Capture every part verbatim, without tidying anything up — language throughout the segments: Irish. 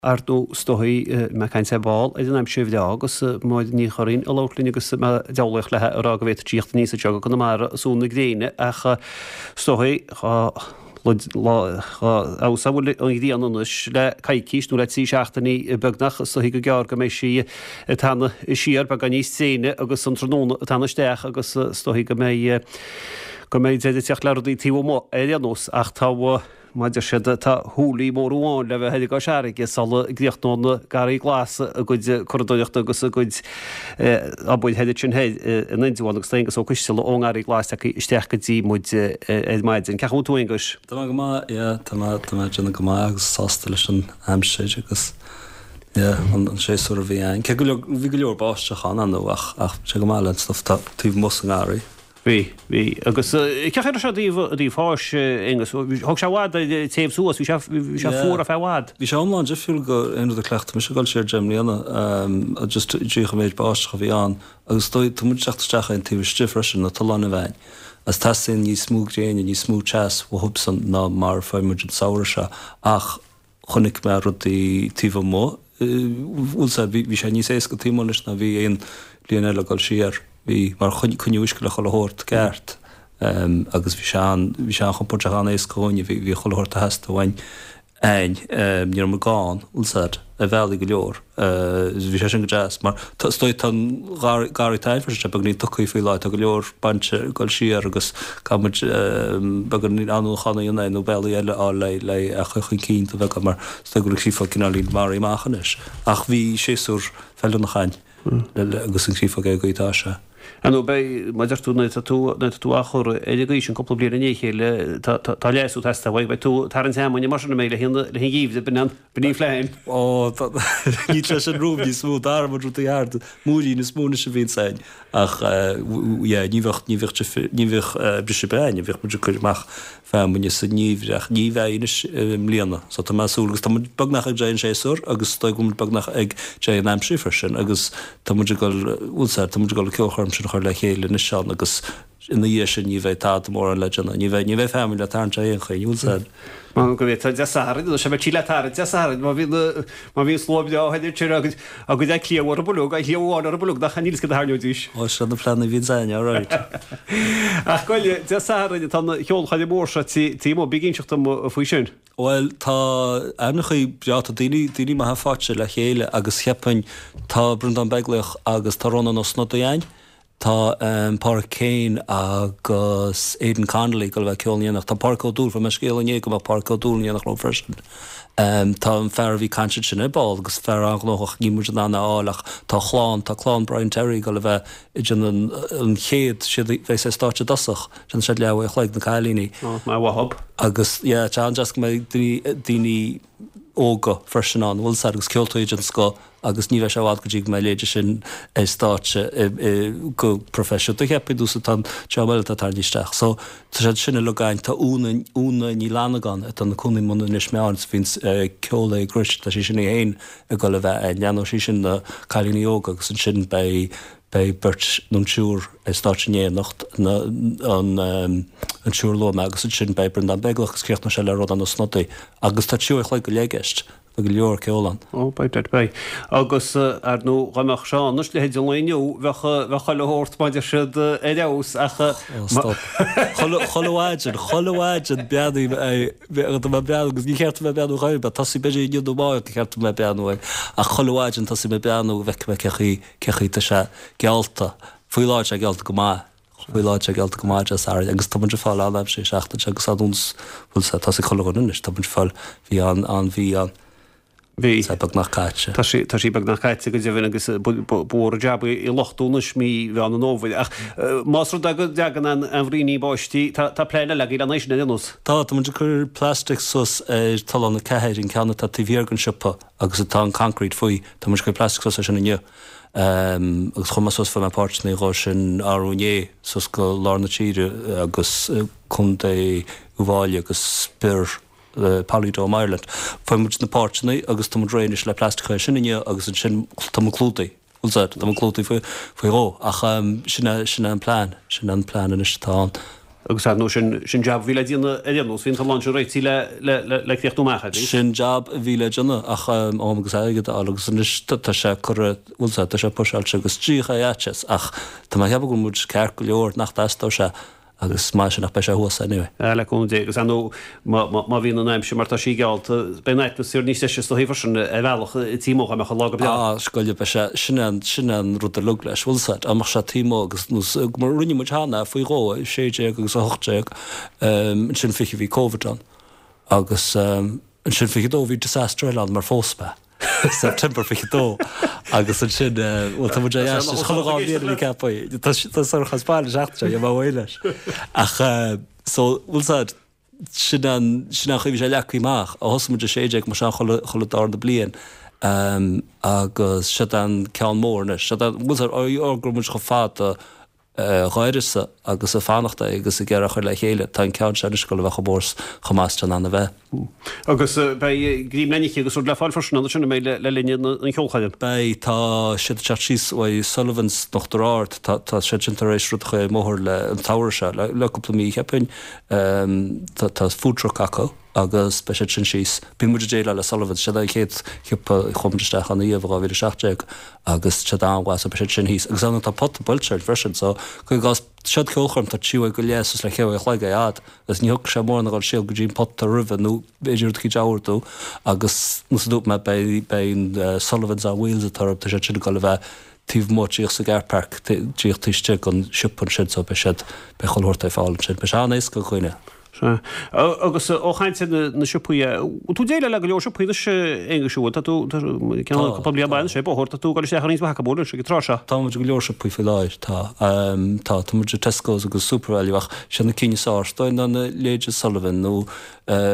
Ar ndóigh is dóichí mé ag caint ar ball ar an aimsir bhreá agus Máire Ní Churraoin ag labhairt linn agus mé ag deabhlaíocht léi ag rá go bhféadfadh sí tíocht aníos anseo go Conamara ag sú na gréine ach is dóichí dhá fheabhas a bhfuil an ghrian anois le coicís nó le trí seachtainí beagnach is dóichí go gearr go mbeidh sí ag teannadh siar beagán níos tréine agus an tráthnóna ag teannadh isteach agus is dóichí go mbeidh go mbeidh deireadh ag teacht le rudaí taobh amuigh ar aon nós ach tá Mar a deir siad, tá hoolie mór amháin le bheith ar an gCois Fharraige sula gcríochnóidh na Garraí Glas a gcuid curadóireachta agus a gcuid obair thoir ansin thoir in Indreabhán agus tá Aengus Ó Coisteala ón nGarraí Glas tagtha isteach go dtí muid ar maidin. Cén chaoi a bhfuil tú, Aonghuis? Tá mé go maith, yeah, tá mé, tá mé ag déanamh go maith agus sásta leis an aimsir agus yeah, an, an séasúr a bhí ann. Cé go leor, bhí go leor báisteach ann, ar ndóigh, ach, ach sé go maith le an stuff atá taobh amuigh sa ngarraí. Bhí, bhí. Agus cén chaoi a raibh sé i dtaobh, i dtaobh fáis, Aonghus? Thóg sé i bhfad air téamh suas, bhí sé, bhí sé fuar ar feadh i bhfad. Bhí sé iomlán difriúil go aon rud a chleacht mise ag dul siar deich mbliana, just díreach an méid báisteach a bhí ann. Agus is dóigh, tá muid ag teacht isteach ar an taobh istigh freisin, na tolláin a bheinn. Agus teastaíonn níos mó gréine, níos mó teas uathubsan ná mar a fuair muid an samhradh seo. Ach chonaic mé rudaí taobh amuigh, bhfuil 's a'd, bhí sé níos éasca taobh amuigh anois ná bhí aon bhliain eile ag dul siar. Bhí, mar coinníodh uisce le chuile shórt ceart agus bhí sé an, bhí sé an-chompordach, an-éasca dhúinne, bhí, bhí chuile shórt a theastaigh uainn a'inn, ní raibh muid gann, bhfuil 's a'd, ar bhealaí go leor. Bhí sé sin go deas mar tá, is dóigh tá an garraí, garraí atá a'inn freisin, tá beagáinín tugtha faoi láthair, tá go leor bainte ag dul siar agus caithfidh muid beagán athnuachan a dhéanamh air nó bealaí eile a fháil le, le é a chur chun cinn do bheagán mar is dóigh go bhfuil an créafóg cineáilín maraithe amach anois. Ach bhí séasúr feiliúnach a'inn. Agus an chréafóg ar an gcaoi atá sé. Ar ndóigh beidh, mar a deir tú, nuair atá tú, nuair atá tú á chur ar an gcaoi sin cúpla bliain i ndiaidh a chéile, tá, tá, tá leasú ag teastáil uaidh, beidh tú ag tarraingt fheamainne mar sin a mbeidh le haghaidh an, le haghaidh an gheimhridh, b'in an, b'in í an phlean. Ó, tá, níl sé sin romham níos mó, d'athraigh muid rudaí thart, múirín is mó anois a bhíonns a'inn ach yeah, ní bheadh, ní bheadh difir, ní bheadh briseadh ar bith a'inn, bheadh muid ag cur amach feamainne sa ngeimhreadh ach ní bheidh anois i mbliana. So tá mé ag súil agus tá muid beagnach ag deireadh an séasúr agus is dóigh go bhfuil muid beagnach ag deireadh an aimsir freisin agus tá muid ag dul, bhfuil 's a'd, tá muid ag dul an ceolchoirm sin a chur le chéile anois ann agus ina dhiaidh sin ní bheidh tada mórán le déanamh, ní bheidh, ní bheidh feamainn le tarraingt ar aon chaoi, bhfuil 's a'd. Mar go bhféadfá Dé Sathairn, nó sé bheidh sí le tarraingt Dé Sathairn má bhíonn, má bhíonn slua breá thoir ansin agus, agus a cliabh ar an bholg, a chliabh amháin ar an bholg nach níl 's cad a tharraingeoidís. Ó, sin na pleananna a bhíonns a'inn, alright. Ach gabh i leith, Dé Sathairn atá an cheolchoirm mhór seo taobh amuigh, bí ag inseacht dom faoi sin. Bhuel, tá ainmneachaí breá, tá daoine, daoine maithe faighte le chéile agus cheapfainn, tá Breandán Beaglaoich agus tá Rónán Ó Snodaigh a'inn, Tá Pádraic Kane agus Aidan Connolly ag dul a bheith ag ceol in éineacht. Tá Pádraic Ó Dúill, fuair mé scéala inné go mbeadh Pádraic Ó Dúill in éineacht leo freisin. Tá an fear a bhí ag caint ansin ar ball agus fear an-ghnóthach, níl muid in ann é a fháil ach tá a chlann, tá clann Brian Terry ag dul a bheith ag déanamh an chéad, siad a bheas ar stáitse i dtosach, déanfaidh siad leathuair a chloig, na cailíní. Maith uathub. Agus yeah, tá sé an-deas go mbeidh daoine, daoine óga freisin ann, bhfuil 's a'd, agus ceoltóirí den scoth agus ní bheidh sé i bhfad go dtí go mbeidh a leithéide sin ar stáitse go proifisiúnta, cheapfainn, nó tá an dream eile atá tarraingthe isteach. So, tá siad sin uilig againn. Tá Úna, Úna Ní Fhlannagáin atá ina cónaí i mbun Inis Meáin is a bhíonns ag ceol le Grit, tá sí sin í fhéin ag dul a bheith ann. Leanfaidh sí sin na cailíní óga agus ansin beidh, beidh beirt nó an triúr ar stáitse in éineacht, na, an, an triúr a luaigh mé agus ansin beidh Breandán Beaglaoich agus críochnóidh sé le Rónán Ó Snodaigh agus tá trí uair a chloig go leith i gceist. Beidh go leor ceoil ann. Ó, beidh, beidh, beidh. Agus, ar ndóigh, dá mbeadh sé ann anois, leithéid an lae inniu, bheadh, bheadh chuile shórt, mar a deir siad, ar fheabhas ach. Ó, stop. Chuile, chuile mhaidin, chuile mhaidin breathnaím ar, tá mé ag breathnú agus ní cheart dom bheith ag breathnú chor ar bith, tosaím b'fhéidir inniu nó amárach ba cheart dom bheith ag breathnú air ach chuile mhaidin tosaím ag breathnú go bhfeicfidh mé cé chaoi, cé chaoi tá sé geallta. Faoi láthair tá sé geallta go maith. Faoi láthair tá sé geallta go maith Dé Sathairn agus tá muid ag fáil an-aimsir an tseachtain seo agus an bhfuil sé, tá sé chuile dhuine anois, tá muid ag fáil, bhí an, an mhí an. Bhí. Tá sé beagnach caite. Tá sí, tá sí beagnach caite go deimhin agus ba mhór an jab í a luchtú anois mí Mheán an Fhómhair. Ach más rud é go dtagann an, an bhraoinín báistí, tá, tá plean eile agaibh lena aghaidh sin ar aon nós. Tá, tá muid ag cur plastic suas ar Tollán a Ceathair, an ceann atá taobh thiar den siopa agus atá an concrete faoi, tá muid ag cur plastic suas air sin inniu. Agus chuaigh mé suas, fuair mé páirteanna dhó sin arú inné, suas go lár na tíre agus Contae Uíbh Fhailí agus Birr, Polydome Ireland. Fuair muid na páirteanna agus tá muid réidh anois le plastic a chur air sin inniu agus ansin tá muid clúdaithe, bhfuil 's a'd, tá muid clúdaithe faoi, faoi dhó. Ach sin é, sin é an plean, sin é an plean anois atá ann. Agus ar ndóigh sin, sin jab a bhí le déanamh ar aon nós, bhí an tollán sin réitithe le, le, le, le críochnú amach, a bhí? Sin jab a bhí le déanamh ach am agus airgead a fháil agus anois tá sé curtha, bhfuil a fhios agat, tá sé puiseáilte agus díreach é fhaitíos ach tá mé ag ceapadh go bhfuil muid ceart go leor nach dteastódh sé agus maith sin ach beidh sé thuas anyway. Ah, le cúnamh Dé, agus ar ndóigh má, má, má bhíonn an aimsir mar tá sí geallta, beidh an atmaisféar níos deise is dóichí freisin ar bhealach taobh amuigh dá mbeadh an lá go breá. Ah, scoile, beidh sé, sin é an, sin é an rud uilig leis, bhfuil a fhios agat, dá mbeadh sé taobh amuigh agus nós, mar rinne muid cheana faoi dhó, sé déag agus a hocht déag, ansin fiche bhí Covid ann agus ansin fiche dó bhí disaster eile ann mar phós mé. September fiche dó agus ansin, bhuel tá muid ar ais is chuile dhá bhliain a bhí ceaptha. Tá tá Sorcha as baile an tseachtain seo, gheobhaidh mé uaidh leis. Ach so, bhfuil a fhios agat, sin an, sin an chaoi a bhí sé leagtha amach. Ó thosaigh muid a sé déag mar sin chuile, chuile darna bliain agus siod an ceann mór anois. Siod an, bhfuil a fhios agat, ó go raibh muid chomh fada dh'uireasa agus ag fanacht é agus ag iarraidh a chur le chéile. Tá an ceann seo anois ag dul a bheith chomh mór 's chomh maith is atá in ann a bheith. Agus beidh greim le n-ithe agus rud le fáil freisin ann ansin, an mbeidh, le linn an cheolchoirm? Beidh. Tá siad ag teacht síos uaidh Sullivan's in Uachtar Ard. Tá tá siad sin tar éis rud a chur ar an mbóthar le an tsamhradh seo, le le cúpla mí, cheapfainn. Tá tá food truck acu. agus beidh siad sin síos. Bíonn muid ag déileáil le Sullivan's, siad an chéad shiopa a chuaigh muid isteach ann riamh i dhá mhíle a seacht déag agus siad an-mhaith so beidh siad sin thíos. Agus ann tá pota buailte ort freisin so cuir i gcás siod ceolchoirm tá trí uair go leith suas le ceithre uair a chloig ar fhad agus ní thiocfadh sé mórán a dhul siar go dtí an pota roimhe nó b'fhéidir rud eicínt a ordú agus nós a dúirt mé beidh beidh an Sullivan's on Wheels atá orthu tá siad sin ag dul a bheith taobh amuigh díreach sa gcar park díreach taobh istigh den siopa ansin so beidh siad beidh chuile shórt ar fáil ansin. Beidh sé an-éasca do dhaoine. Sea. Agus ó chaint ar na siopaí, bhfuil tú ag déileáil le go leor siopaí anois, a Aonghuis, an bhfuil? Tá tú, tá, ceann cúpla bliain bain sé bóthar, tá tú ag dul isteach i roinnt mhaith acu, an bhfuil, ag an tráth seo? Tá muid i go leor siopaí faoi láthair, tá. Tá, tá muid i Tesco's agus Supervalu ach siad na cinn is fearr is dóigh ná na leithéide Sullivan nó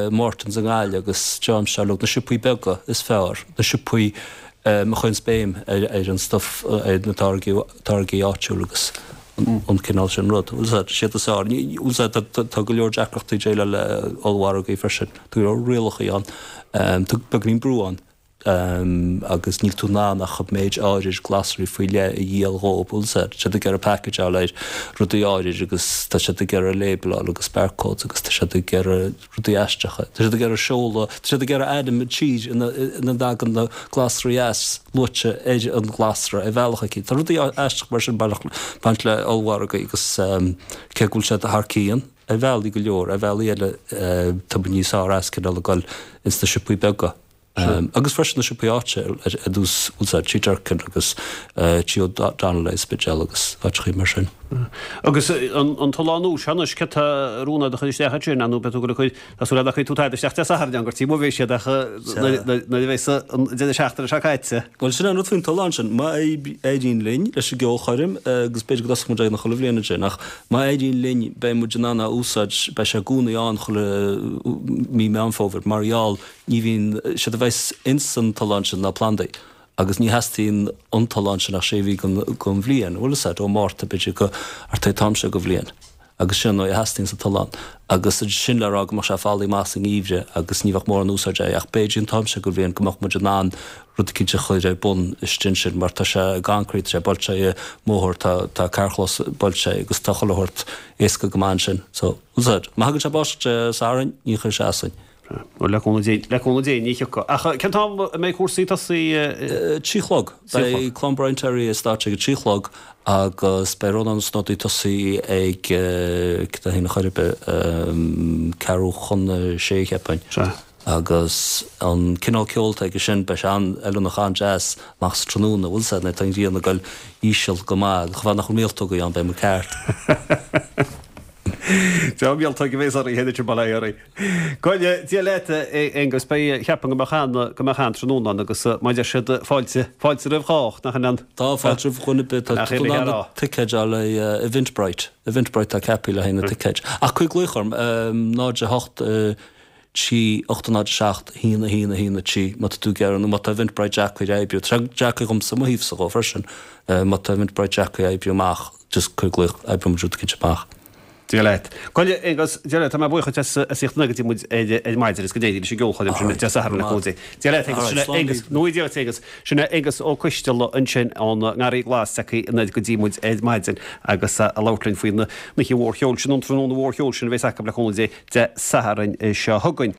Mortons i nGaillimh agus John Sherlock, na siopaí beaga is fearr, na siopaí a chuireanns béim ar an stuif, ar na táirgí, táirgí áitiúla agus an cineál sin rud. Bhfuil a fhios agat, siad is fearr. Bhfuil a fhios agat, tá go leor deacrachtaí déileáil le ollmhargaí freisin. Tá go leor rialachaí ann. Tá beagáinín brú ann agus níl tú in ann ach an méid áirid glasraí faoi leith a dhíol dhóibh. Bhfuil a fhios agat, tá siad ag iarraidh packageáil ar rudaí áirid agus tá siad ag iarraidh label-áil agus barcodes agus tá siad ag iarraidh rudaí aisteacha. Tá siad ag iarraidh seoladh, tá siad ag iarraidh ainm an tír ina ina dtagann na glasraí as luaite ar an ghlasra ar bhealach eicínt. Tá rudaí aisteach mar sin baint baint le ollmhargaí agus cé go bhfuil siad thar cionn ar bhealaí go leor, ar bhealaí eile tá muid níos fearr as cineál ag dul ins na siopaí beaga. Agus freisin na siopaí áite ar nós, bhfuil a fhios agat, Tigh Durkin agus Tigh O'Donnell i Spidéal agus áiteachaí mar sin. Agus an tollán úr seo anois, céard tá ar rún agat a chur isteach ansin? Nó beidh tú ag dul a chur, tá súil agam nach gcuirfidh tú tada isteach Dé Sathairn ann gur taobh amuigh a bheidh siad ach nuair a bheidh an deireadh seachtaine seo caite. Bhuel, sin an rud faoin tollán sin. Má éiríonn linn leis an gceolchoirm, agus b'fhéidir go dtosóidh muid é chuile bhliain ansin, ach má éiríonn linn beidh muid in ann é a úsáid, beidh sé i gcónaí ann chuile mí Meán Fómhair mar gheall Ní bhíonn, séard a bheas ins an tollán sin ná plandaí agus ní theastaíonn an tollán sin ach sé mhí den bhliain, bhfuil a fhios agat, ó Mhárta b'fhéidir go thart ar an t-am seo den bhliain agus sin an dóigh a theastaíonn sa tollán agus sin le rá go mbeadh sé folaigh amach sa ngeimhreadh agus ní bheadh mórán úsáid air ach b'fhéidir an t-am seo den bhliain go mbeadh muid in ann rud eicínt a chur ar bun istigh ansin mar tá sé i gconcrete, tá sé buailte i mbóthar, tá tá carrchlós buailte agus tá chuile shórt éasca go maith ansin so, bhfuil a fhios agat, má thagann sé báisteach Dé Sathairn ní chuirfidh sé asainn. Bhuel, le cúnamh Dé, le cúnamh Dé, ní thiocfaidh. Ach cén t-am a mbeidh cúrsaí ag tosaí? Trí chlog. Beidh Clann Brian Terry ar stáitse ag a trí chlog agus beidh Rónán Ó Snodaigh ag tosaí ag, cad é féin a chor ar bith, ceathrú chun a sé, cheapfainn. Sea. Agus an cineál ceoil atá aige sin, beidh sé an-fheiliúnach, an-deas amach sa tráthnóna, bhfuil a fhios agat, nuair atá an ghrian ag dul íseal go maith, chomh fada nach bhfuil míoltógaí ann, beidh muid ceart. Deá mhíoltóg a bhéas oraibh anois bail ó Dhia oraibh. Go Dia leat a Aonghus, beidh, cheapfainn go mbeadh an, go mbeadh an-tráthnóna ann agus mar a deir siad fáilte, fáilte roimh chách, nach in ann? Tá fáilte roimh dhuine ar bith, tá tú in ann na ticéid a fháil ar Eventbrite, Eventbrite tá ceaptha le haghaidh na ticéid. Ach cuir glaoch orm, náid a hocht, trí, ocht a náid a seacht, a haon a haon a haon a trí, má tá tú ag iarraidh nó má tá Eventbrite deacair a oibriú. Tá sé deacair dhomsa, mo thaobhsa dhó freisin, má tá Eventbrite deacair a oibriú amach, just cuir glaoch, oibreoidh muid rud eicínt amach. Dia leat. Bhuel a Aonghus, Dia leat, tá mé buíoch duit as as theacht go dtí muid ar ar maidin is go n-éirí leis an gceolchoirm sin Dé Sathairn le cúnamh Dé. Dia leat Aonghus, sin é Aonghus, nó Dia leat Aonghus, sin é Aonghus Ó Coisteala ansin ón nGarraí Glas tagtha anoir go dtí muid ar maidin agus a labhairt linn faoin oíche mhór cheoil sin, an tráthnóna mhór cheoil sin a bheas acu le cúnamh Dé Dé Sathairn seo chugainn.